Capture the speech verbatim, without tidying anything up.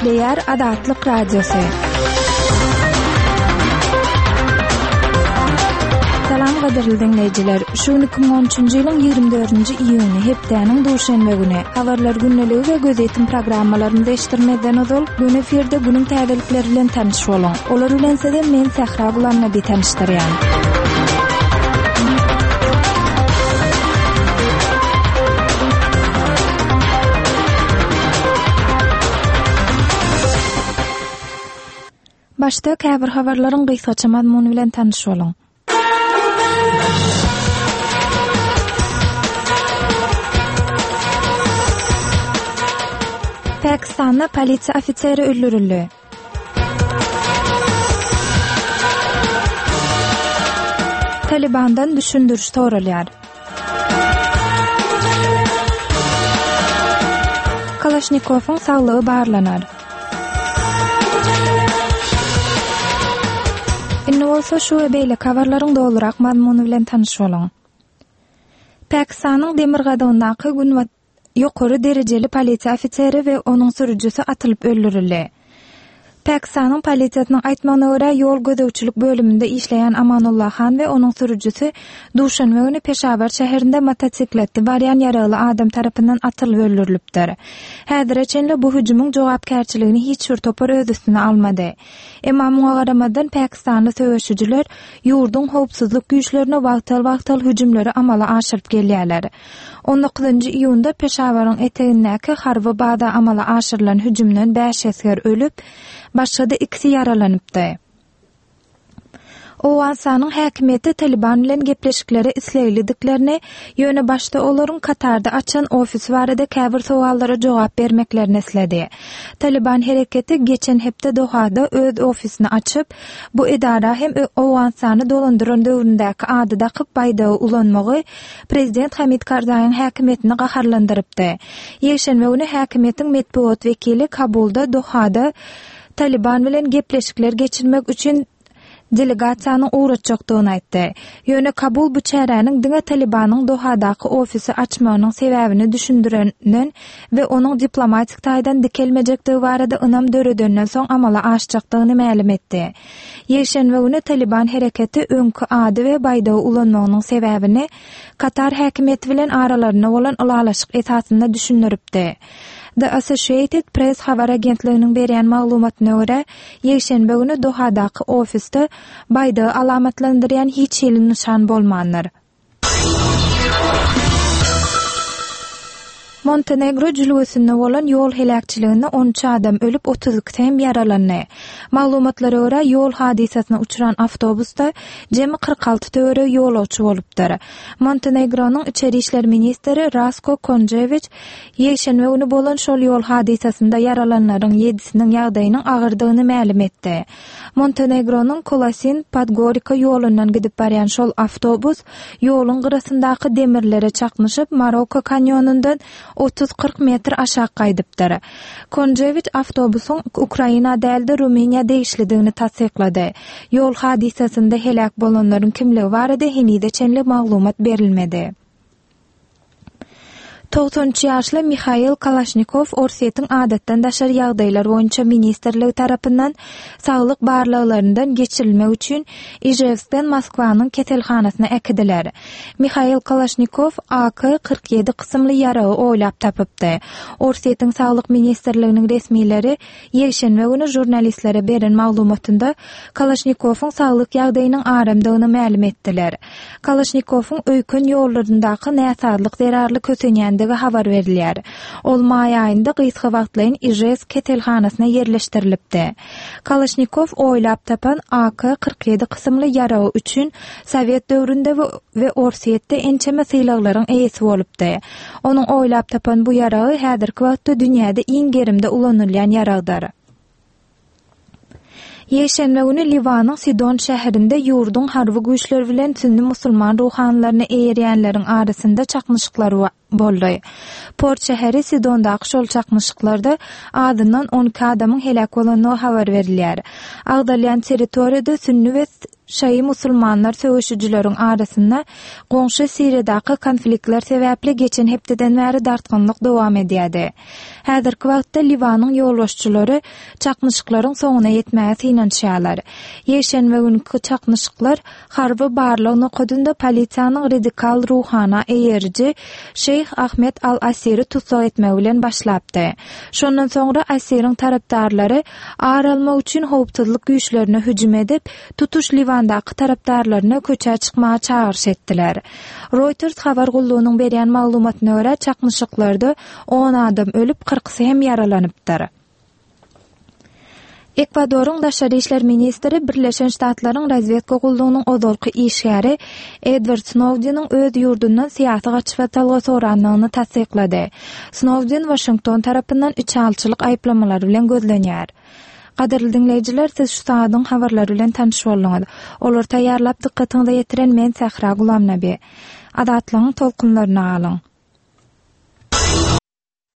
Gepleýär Azatlyk Radiosy. Salam gadyrly diňleýjiler. Şu gün iki müň on üçünji ýylyň ýigrimi dördünji iýuny, hepdäniň duşenbe güni. Habarlar gündeligi we gözýetim programmalarymyzy eşitdirmezden ozal, gün efirde günüň täzelikleri bilen tanyş boluň. Olar bilen sizi men Sähra Gulamnabi tanyşdyrýan. Başda käbir habarlaryň gysgaça mazmuny bilen tanyş boluň. Pakistanda polisiýa ofiseri öldürildi. Talibandan düşündiriş soralýar. Kalaşnikowyň saglygy barlanar. Indi bolsa şu we beýleki habarlaryň dolurak mazmuny bilen tanyş boluň. Pakistanyň demirgazygyndaky gün ýokary derejeli polisiýa ofiseri we onuň sürüjisi atylyp öldürildi. Pakistanyň polisiýasynyň aýtmagyna görä, ýol gözegçilik bölüminde işleýän Amanullah Han we onuň sürüjisi duşenbe güni Peşawar şäherinde motosikletde barýan ýaragly adam tarapyndan atylyp öldürilipdir. Häzire çenli bu hüjümiň jogapkärçiligini hiç bir topar öz üstüne almady. Emma muňa garamazdan Pakistanly söweşijiler ýurduň howpsuzlyk güýçlerine wagtal-wagtal hüjümleri amala aşyryp gelýärler. on dokuzynjy iýunda Peşawaryň etegindäki harby baza amala aşyrylan hüjümden bäş esger ölüp, başga-da ikisi ýaralanypdy. Owganystanyň häkimiýeti Taliban bilen gepleşiklere isleglidiklerini, ýöne başda olaryň Katarda açan ofisi barada käbir sowallara jogap bermeklerini isledi. Taliban hereketi geçen hepde Dohada öz ofisini açyp, bu edara hem Owganystany dolandyran döwründäki ady dakyp baýdagy ulanmagy Prezident Hamid Karzaýyň häkimiýetini gaharlandyrypdy. Ýekşenbe güni häkimiýetiň metbugat wekili Kabulda Dohada Taliban bilen gepleşikler geçirmek üçin delegasiýanyň ugratjakdygyny aýtdy. Ýöne Kabul bu çäräniň diňe Talibanyň Dohadaky ofisi açmagynyň sebäbini düşündirenden we onuň diplomatik taýdan dikelmejekdigi barada ynam döredenden soň amala aşjakdygyny mälim etdi. Ýekşenbe güni Taliban hereketi öňki ady we baýdagy ulanmagynyň sebäbini Katar häkimiýeti bilen aralarynda bolan ylalaşyk esasynda düşündiripdi. The Associated Press habar agentliginiň berýän maglumatyna görä, ýekşenbe güni Dohadaky ofisde baýdagy alamatlandyrýan hiç hili nyşan bolmandyr. Montenegro jülgesinde bolan ýol heläkçiliginde on üç adam ölüp, otuz ikisi hem ýaralandy. Maglumatlara görä, ýol hadysasyna uçran awtobusda jemi kyrk alty töweregi ýolagçy bolupdyr. Montenegronyň içeri işler ministri Rasko Konjewiç ýekşenbe güni bolan şol ýol hadysasynda ýaralanlaryň ýedisiniň ýagdaýynyň agyrdygyny mälim etdi. Montenegronyň Kolasin Podgorika ýolundan gidip barýan şol awtobus ýoluň gyrasyndaky demirlere çaknyşyp, Maroko kanýonundan otuz kyrk metr aşak gaýdypdyr. Konjewiç awtobusyň Ukraina dälde Rumyniýa degişlidigini tassyklady. Ýol hadysasynda heläk bolanlaryň kimligi barada henize çenli maglumat berilmedi. Togsan üç ýaşly Mihail Kalaşnikow Orsýetiň adatdan daşary ýagdaýlar boýunça ministrligi tarapyndan saglyk barlaglaryndan geçirilmek üçin Ijewskden Moskwanyň keselhanasyna äkidiler. Mihail Kalaşnikow A K kyrk ýedi kysymly ýaragy oýlap tapypdy. Orsýetiň saglyk ministrliginiň resmileri ýekşenbe güni žurnalistlere beren maglumatynda Kalaşnikowyň saglyk ýagdaýynyň aramdygyny mälim etdiler. Kalaşnikowyň öýken ýollaryndaky näsazlyk zerarly kösenýändigi habar berilýär. Ol maý aýynda gysga wagtlaýyn Ijewsk keselhanasyna ýerleşdirilipdi. Kalaşnikow oýlap tapan A K kyrk ýedi kysymly ýaragy üçin Sowet döwründe we Orsýetde ençeme sylaglaryň eýesi bolupdy. Onuň oýlap tapan bu ýaragy häzirki wagtda dünýäde iň gerimde ulanylýan ýaragdyr. Ýekşenbe güni Liwanyň Sidon şäherinde ýurduň harby güýçleri bilen sünni musulman ruhanylaryny eýerýänleriň arasynda çaknyşyklar boldy. Port şäheri Sidondaky şol çaknyşyklarda azyndan on iki adamyň heläk bolandygy habar berilýär. Agdalýan territoriýada sünni we şaýy musulmanlar söweşijileriň arasynda goňşy Siriýadaky konfliktler sebäpli geçen hepdeden bäri dartgynlyk dowam edýärdi. Häzirki wagtda Liwanyň ýolbaşçylary çaknyşyklaryň soňuna ýetmäge synanyşýarlar. Ýekşenbe günki çaknyşyklar harby barlag nokadynda polisiýanyň radikal ruhana eýeriji Şeýh Ahmed al-Asiri tussag etmegi bilen başlapdy. Şondan soňra Asiriň tarapdarlary ar almak üçin howpsuzlyk güýçlerine hüjüm edip, tutuş Liwandaky tarapdarlaryna köçä çykmaga çagyryş etdiler. Reuters habar gullugynyň berýän maglumatyna görä, çaknyşyklarda on adam ölüp, kyrkysy hem ýaralanypdyr. Ekwadoryň daşary işler ministri Birleşen Ştatlaryň razwedka gullugynyň ozalky işgäri Edward Snowdeniň öz ýurdundan syýasy gaçybatalga sorandygyny tassyklady. Snowden Waşington tarapyndan içalyçylyk aýyplamalary bilen gözlenýär. Gadyrly diňleýjiler, siz şu sagadyň habarlary bilen tanyş bolduňyz. Olary taýýarlap dykgatyňyza ýetiren men Sähra Gulamnabi. Azatlygyň tolkunlaryna galyň.